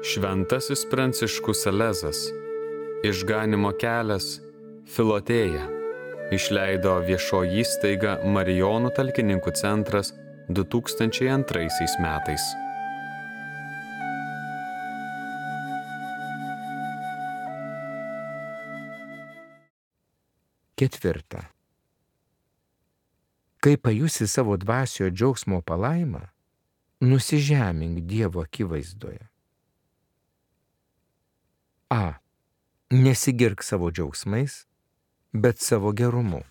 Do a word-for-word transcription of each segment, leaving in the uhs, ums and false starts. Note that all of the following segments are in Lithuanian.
Šventasis Pranciškus Salezas, Išganymo kelias, Filotėja, išleido viešoji įstaiga Marijonų talkininkų centras du tūkstančiai antraisiais metais. Ketvirta. Kai pajusi savo dvasiojo džiaugsmo palaimą, nusižemink Dievo akivaizdoje. A. Nesigirk savo džiaugsmais, bet savo gerumu.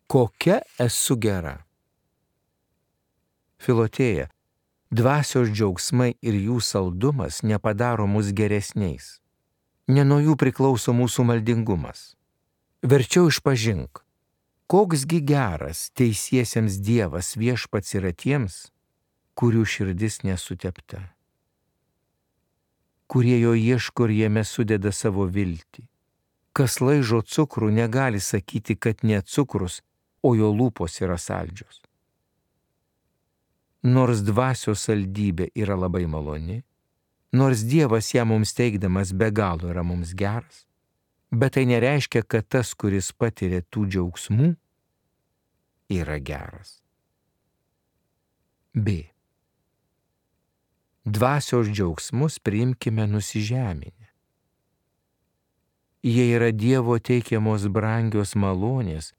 Kokia esu gera? Filotėja, dvasios džiaugsmai ir jų saldumas nepadaro mus geresniais. Ne nuo jų priklauso mūsų maldingumas. Verčiau išpažink, koksgi geras teisiesiems Dievas viešpats yra tiems, kurių širdis nesutepta, kurie jo ieško ir jame sudeda savo viltį. Kas laižo cukrų, negali sakyti, kad ne cukrus, o jo lūpos yra saldžios. Nors dvasios saldybė yra labai maloni, nors Dievas ją mums teikdamas be galo yra mums geras, bet tai nereiškia, kad tas, kuris patiria tų džiaugsmų, yra geras. B. Dvasios džiaugsmus priimkime nusižeminę. Jie yra Dievo teikiamos brangios malonės,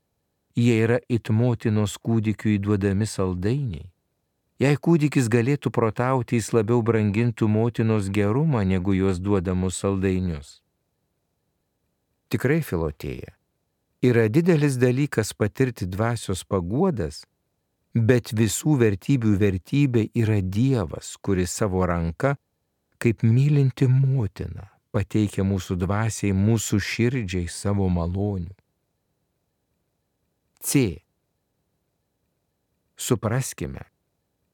jie yra it motinos kūdikiui duodami saldainiai. Jei kūdikis galėtų protauti, jis labiau brangintų motinos gerumą negu jos duodamus saldainius. Tikrai, Filotėja, yra didelis dalykas patirti dvasios paguodas, bet visų vertybių vertybė yra Dievas, kuris savo ranka, kaip mylinti motina, pateikia mūsų dvasiai, mūsų širdžiai savo malonių. C. Supraskime,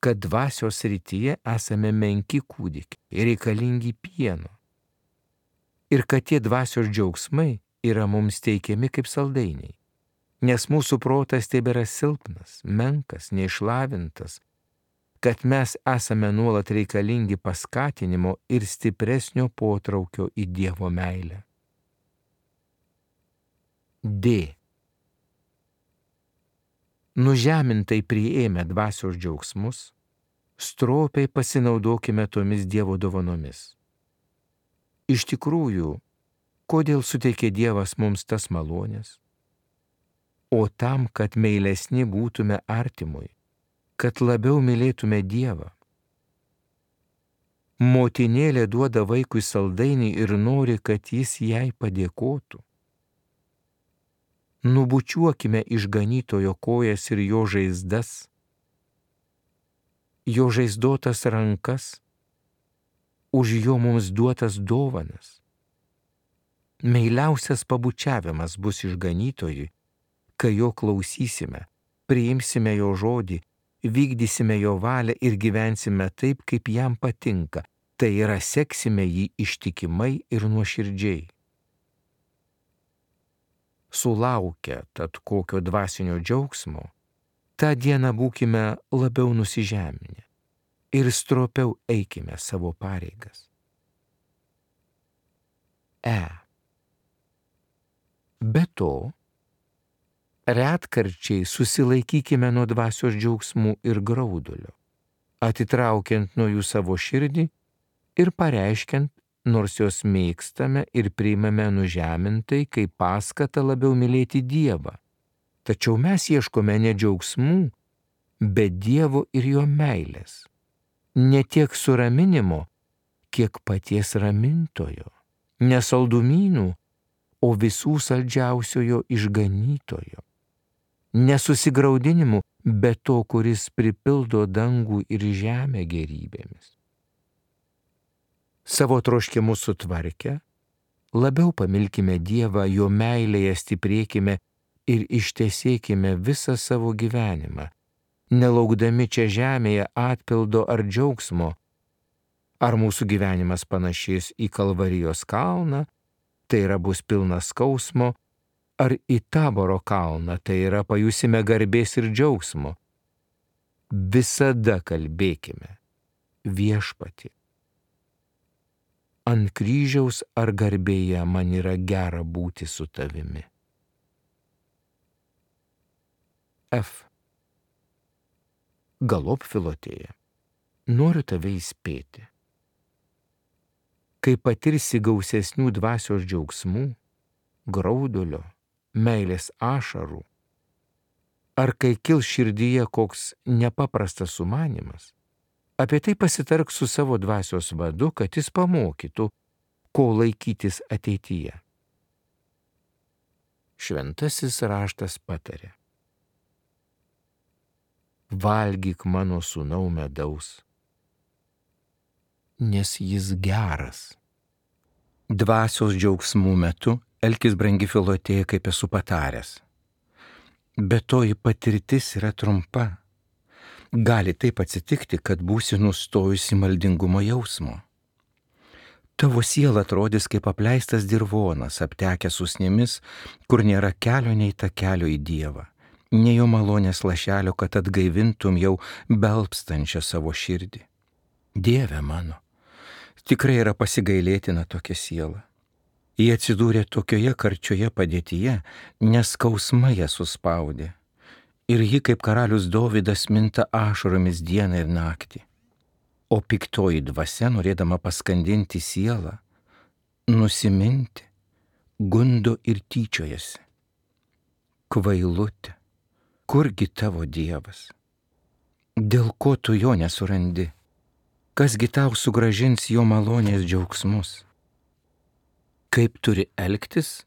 kad dvasios srityje esame menki kūdikiai ir reikalingi pieno. Ir kad tie dvasios džiaugsmai yra mums teikiami kaip saldainiai, nes mūsų protas tebėra silpnas, menkas, neišlavintas, kad mes esame nuolat reikalingi paskatinimo ir stipresnio potraukio į Dievo meilę. D. Nužemintai priėmę dvasios džiaugsmus, stropiai pasinaudokime tomis Dievo dovanomis. Iš tikrųjų, kodėl suteikė Dievas mums tas malonės? O tam, kad meilesni būtume artimui, kad labiau mylėtume Dievą. Motinėlė duoda vaikui saldainį ir nori, kad jis jai padėkotų. Nubučiuokime išganytojo kojas ir jo žaizdas, jo žaizdotas rankas, už jo mums duotas dovanas. Meiliausias pabučiavimas bus išganytojui, kai jo klausysime, priimsime jo žodį, vykdysime jo valią ir gyvensime taip, kaip jam patinka, tai yra seksime jį ištikimai ir nuoširdžiai. Sulaukę tad kokio dvasinio džiaugsmo, tą dieną būkime labiau nusižeminę ir stropiau eikime savo pareigas. E. Be to, retkarčiai susilaikykime nuo dvasios džiaugsmų ir graudulio, atitraukiant nuo jų savo širdį ir pareiškiant, nors jos mėgstame ir priimame nužemintai, kaip paskatą labiau mylėti Dievą. Tačiau mes ieškome ne džiaugsmų, bet Dievo ir jo meilės. Ne tiek suraminimo, kiek paties ramintojo, ne saldumynų, o visų saldžiausiojo išganytojo. Nesusigraudinimu, bet to, kuris pripildo dangų ir žemę gerybėmis. Savo troškimus sutvarkę, labiau pamilkime Dievą, jo meilėje stiprėkime ir ištesėkime visą savo gyvenimą, nelaukdami čia žemėje atpildo ar džiaugsmo. Ar mūsų gyvenimas panašės į Kalvarijos kalną, tai yra bus pilnas skausmo, ar į Taboro kalną, tai yra pajusime garbės ir džiaugsmo. Visada kalbėkime, Viešpatie, ant kryžiaus ar garbėje man yra gera būti su tavimi. F. Galop Filotėja, noriu tave įspėti. Kai patirsi gausesnių dvasios džiaugsmų, graudulio, meilės ašarų, ar kai kils širdyje koks nepaprastas sumanimas, apie tai pasitark su savo dvasios vadu, kad jis pamokytų, ko laikytis ateityje. Šventasis raštas patarė: valgyk mano sūnau medaus, nes jis geras. Dvasios džiaugsmų metu elkis, brangi Filotėja, kaip esu pataręs. Bet toji patirtis yra trumpa. Gali taip atsitikti, kad būsi nustojusi maldingumo jausmo. Tavo siela atrodys kaip apleistas dirvonas, aptekęs usnimis, kur nėra kelio nei takelio į Dievą, nei jo malonės lašelio, kad atgaivintum jau belpstančią savo širdį. Dieve mano, tikrai yra pasigailėtina tokia siela. Jie atsidūrė tokioje karčioje padėtyje, nes skausmai ją suspaudė. Ir ji kaip karalius Dovydas minta ašaromis dieną ir naktį. O piktoji dvasia, norėdama paskandinti sielą, nusiminti, gundo ir tyčiojasi. Kvailutė, kurgi tavo Dievas? Dėl ko tu jo nesurandi? Kasgi tau sugrąžins jo malonės džiaugsmus? Kaip turi elgtis,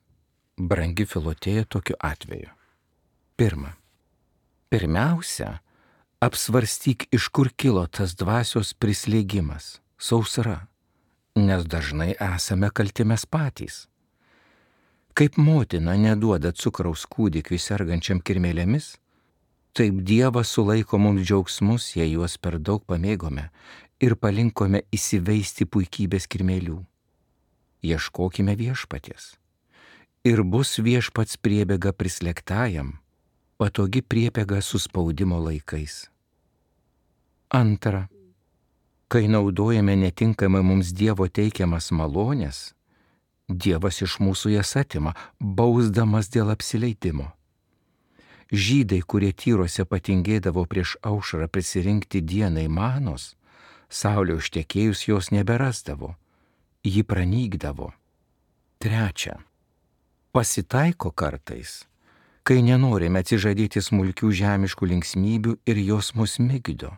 brangi Filotėja, tokiu atveju? Pirma. Pirmiausia, apsvarstyk, iš kur kilo tas dvasios prislėgimas, sausra, nes dažnai esame kalti mes patys. Kaip motina neduoda cukraus kūdikiui sergančiam kirmėlėmis, taip Dievas sulaiko mums džiaugsmus, jei juos per daug pamėgome ir palinkome įsiveisti puikybės kirmėlių. Ieškokime viešpaties. Ir bus viešpats priebėga prislėgtajam, patogi priebėga suspaudimo laikais. Antra, kai naudojame netinkamai mums Dievo teikiamas malonės, Dievas iš mūsų jas atima, bausdamas dėl apsileidimo. Žydai, kurie tyruose patingėdavo prieš aušrą prisirinkti dienai manos, saulė užtekėjus jos neberasdavo, ji pranykdavo. Trečia, pasitaiko kartais, kai nenorime atsižadėti smulkių žemiškų linksmybių ir jos mus migdo,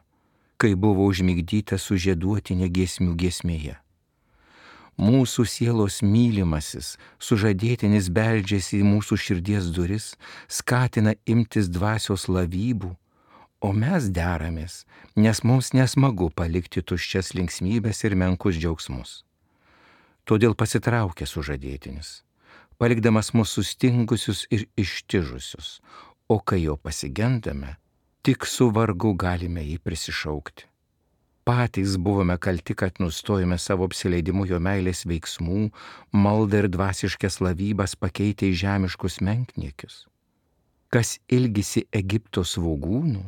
kai buvo užmigdyta sužieduotinė giesmių giesmėje. Mūsų sielos mylimasis, sužadėtinis beldžiasi į mūsų širdies duris, skatina imtis dvasios lavybų, o mes deramės, nes mums nesmagu palikti tuščias linksmybės ir menkus džiaugsmus. Todėl pasitraukia sužadėtinis, palikdamas mus sustingusius ir ištižusius, o kai jo pasigendame, tik su vargu galime jį prisišaukti. Patys buvome kalti, kad nustojame savo apsileidimu jo meilės veiksmų, maldą ir dvasiškas lavybas pakeitę į žemiškus menkniekius. Kas ilgisi Egipto svogūnų,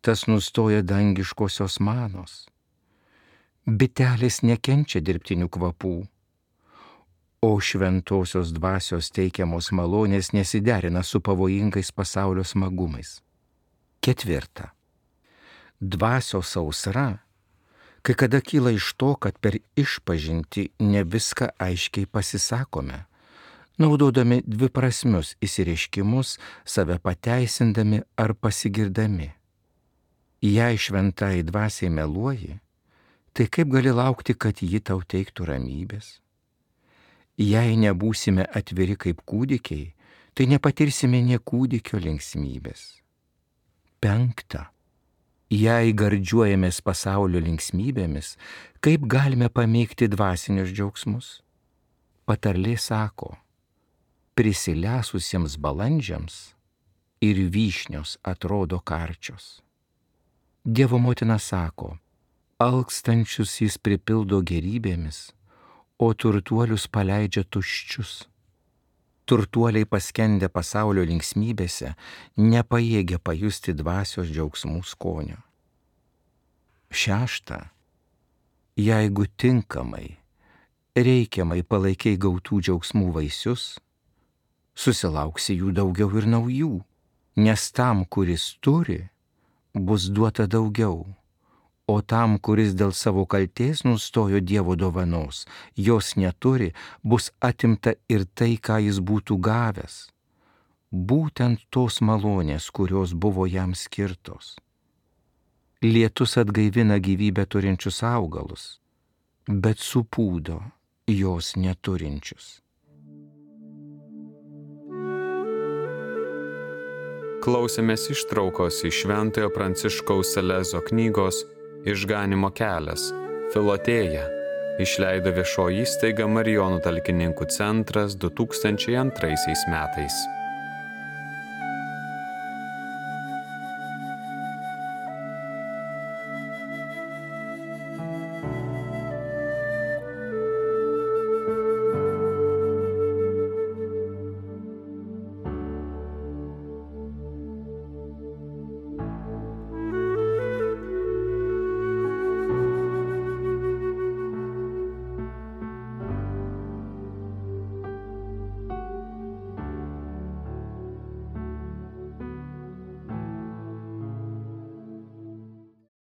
tas nustoja dangiškosios manos. Bitelės nekenčia dirbtinių kvapų, o šventosios dvasios teikiamos malonės nesiderina su pavojingais pasaulio smagumais. Ketvirta. Dvasios sausra kai kada kyla iš to, kad per išpažintį ne viską aiškiai pasisakome, naudodami dviprasmius įsireiškimus, save pateisindami ar pasigirdami. Jei šventai dvasiai meluoji, tai kaip gali laukti, kad ji tau teiktų ramybės? Jei nebūsime atviri kaip kūdikiai, tai nepatirsime nė kūdikio linksmybės. Penkta. Jei gardžiuojamės pasaulio linksmybėmis, kaip galime pamėgti dvasinius džiaugsmus? Patarlė sako, prisilesusiems balandžiams ir vyšnios atrodo karčios. Dievo motina sako, alkstančius jis pripildo gerybėmis, o turtuolius paleidžia tuščius. Turtuoliai paskendę pasaulio linksmybėse nepajėgia pajusti dvasios džiaugsmų skonio. Šešta. Jeigu tinkamai reikiamai palaikiai gautų džiaugsmų vaisius, susilauksi jų daugiau ir naujų, nes tam, kuris turi, bus duota daugiau, o tam, kuris dėl savo kaltės nustojo Dievo dovanos, jos neturi, bus atimta ir tai, ką jis būtų gavęs, būtent tos malonės, kurios buvo jam skirtos. Lietus atgaivina gyvybę turinčius augalus, bet supūdo jos neturinčius. Klausėmės ištraukos iš Šventojo Pranciškaus Salezo knygos Išganymo kelias – Filotėja, išleido viešoji įstaiga Marijonų talkininkų centras du tūkstančiai antraisiais metais.